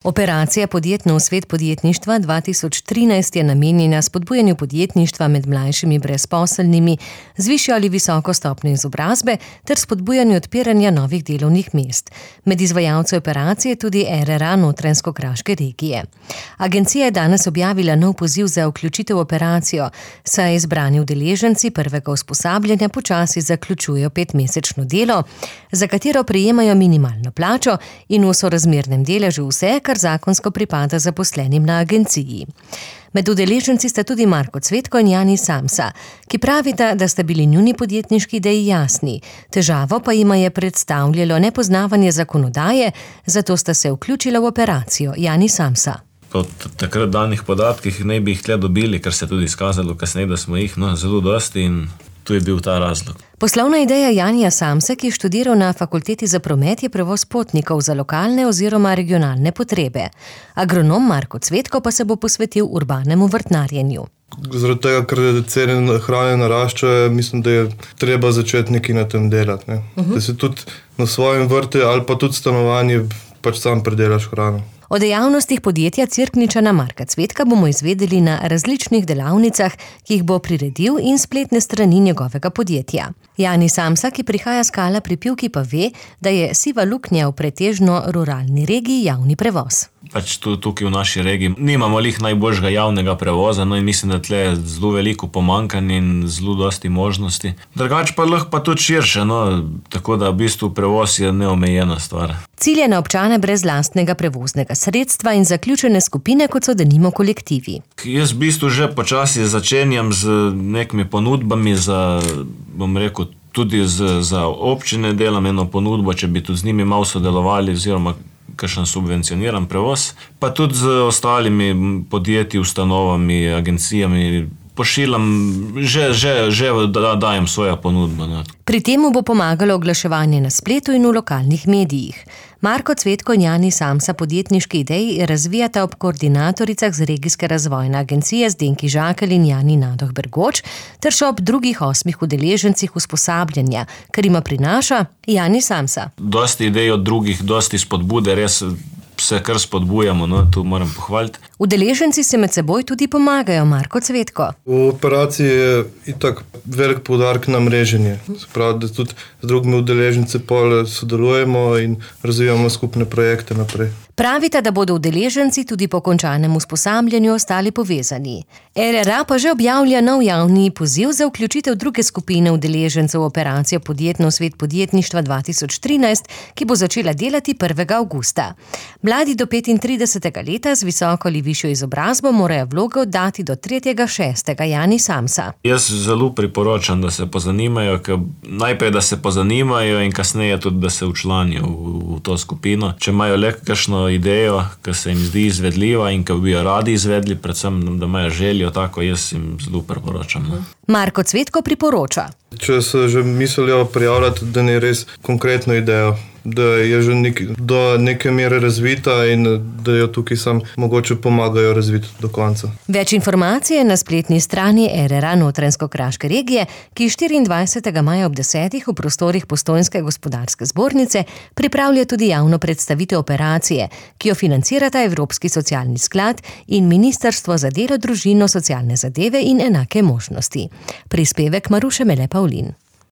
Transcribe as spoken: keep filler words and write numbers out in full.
Operacija Podjetno v svet podjetništva dva tisoč trinajst je namenjena spodbujanju podjetništva med mlajšimi brezposelnimi z višjo ali visoko stopnjo izobrazbe ter spodbujanju odpiranja novih delovnih mest. Med izvajalci operacije tudi R R A Notranjsko-Kraške regije. Agencija je danes objavila nov poziv za vključitev v operacijo, saj izbrani udeleženci prvega usposabljanja počasi zaključujejo petmesečno delo, za katero prejemajo minimalno plačo in v sorazmernem deležu vse, kar zakonsko pripada zaposlenim na agenciji. Med udeleženci sta tudi Marko Cvetko in Jani Samsa, ki pravita, da sta bili njuni podjetniški ideji jasni. Težavo pa jima je predstavljalo nepoznavanje zakonodaje, zato sta se vključila v operacijo. Jani Samsa. Po takrat danih podatkih ne bi jih tle dobili, ker se je tudi izkazalo kasneje, da smo jih no, zelo dosti in to je bil ta razlog. Poslovna ideja Janija Samsa, ki je študiral na Fakulteti za promet, je prevoz potnikov za lokalne oziroma regionalne potrebe. Agronom Marko Cvetko pa se bo posvetil urbanemu vrtnarjenju. Zaradi tega, ker cene hrane naraščajo, mislim, da je treba začeti nekaj na tem delati. Ne? Uh-huh. Da se tudi na svojem vrtu ali pa tudi stanovanje pač sam predelaš hrano. O dejavnostih podjetja Cerkničana Marka Cvetka bomo izvedeli na različnih delavnicah, ki jih bo priredil, in spletne strani njegovega podjetja. Jani Samsa, ki prihaja s Kala pri Pivki, pa ve, da je siva luknja v pretežno ruralni regiji javni prevoz. Pač tukaj v naši regiji nimamo lih najboljšega javnega prevoza, no in mislim, da tle je zelo veliko pomanjkanje in zelo dosti možnosti. Drugače pa lahko pa tudi širše, no, tako da v bistvu prevoz je neomejena stvar. Cilj je na občane brez lastnega prevoznega sredstva in zaključene skupine, kot so denimo kolektivi. Jaz v bistvu že počasi začenjam z nekimi ponudbami za, bom rekel, tudi z, za občine delam eno ponudbo, če bi tudi z njimi malo sodelovali oziroma kakšen subvencioniran prevoz, pa tudi z ostalimi podjetji, ustanovami, agencijami pošiljam, že, že, že da, dajem svojo ponudbo. Ne. Pri temu bo pomagalo oglaševanje na spletu in v lokalnih medijih. Marko Cvetko in Jani Samsa podjetniški ideji razvijata ob koordinatoricah z regijske razvojne agencije Zdenki Žakelj in Jani Nadoh Bergoč, ter še ob drugih osmih udeležencih usposabljanja, kar ima prinaša Jani Samsa. Dosti idej od drugih, dosti spodbude, res vse kar spodbujamo, no, tu moram pohvaliti. Udeleženci se med seboj tudi pomagajo, Marko Cvetko. V operaciji je itak velik poudarek na mreženje. Se pravi, da tudi z drugimi udeleženci pol sodelujemo in razvijamo skupne projekte naprej. Pravita, da bodo udeleženci tudi po končanem usposabljanju ostali povezani. R R A pa že objavlja nov javni poziv za vključitev druge skupine udeležencev v operacijo Podjetno v svet podjetništva dva tisoč trinajst, ki bo začela delati prvega avgusta. Mladi do petintridesetega leta z visoko ali višjo izobrazbo morajo vloge oddati do tretjega šestega. Jani Samsa. Jaz zelo priporočam, da se pozanimajo, ker najprej, da se pozanimajo in kasneje tudi, da se včlanijo v, v to skupino. Če imajo le kakšno idejo, ki se jim zdi izvedljiva in ki bi jo radi izvedli, predvsem, da imajo željo tako, jaz jim zelo priporočam. Marko Cvetko priporoča. Če se že mislijo prijavljati, da ne res konkretno idejo, da je že nek, do neke mere razvita in da jo tukaj sam mogoče pomagajo razviti do konca. Več informacije na spletni strani R R A Notranjsko-Kraške regije, ki štiriindvajsetega maja ob desetih v prostorih Postojnske gospodarske zbornice pripravlja tudi javno predstavitev operacije, ki jo financirata Evropski socialni sklad in Ministrstvo za delo, družino, socialne zadeve in enake možnosti. Prispevek Maruše Mele Pavlin.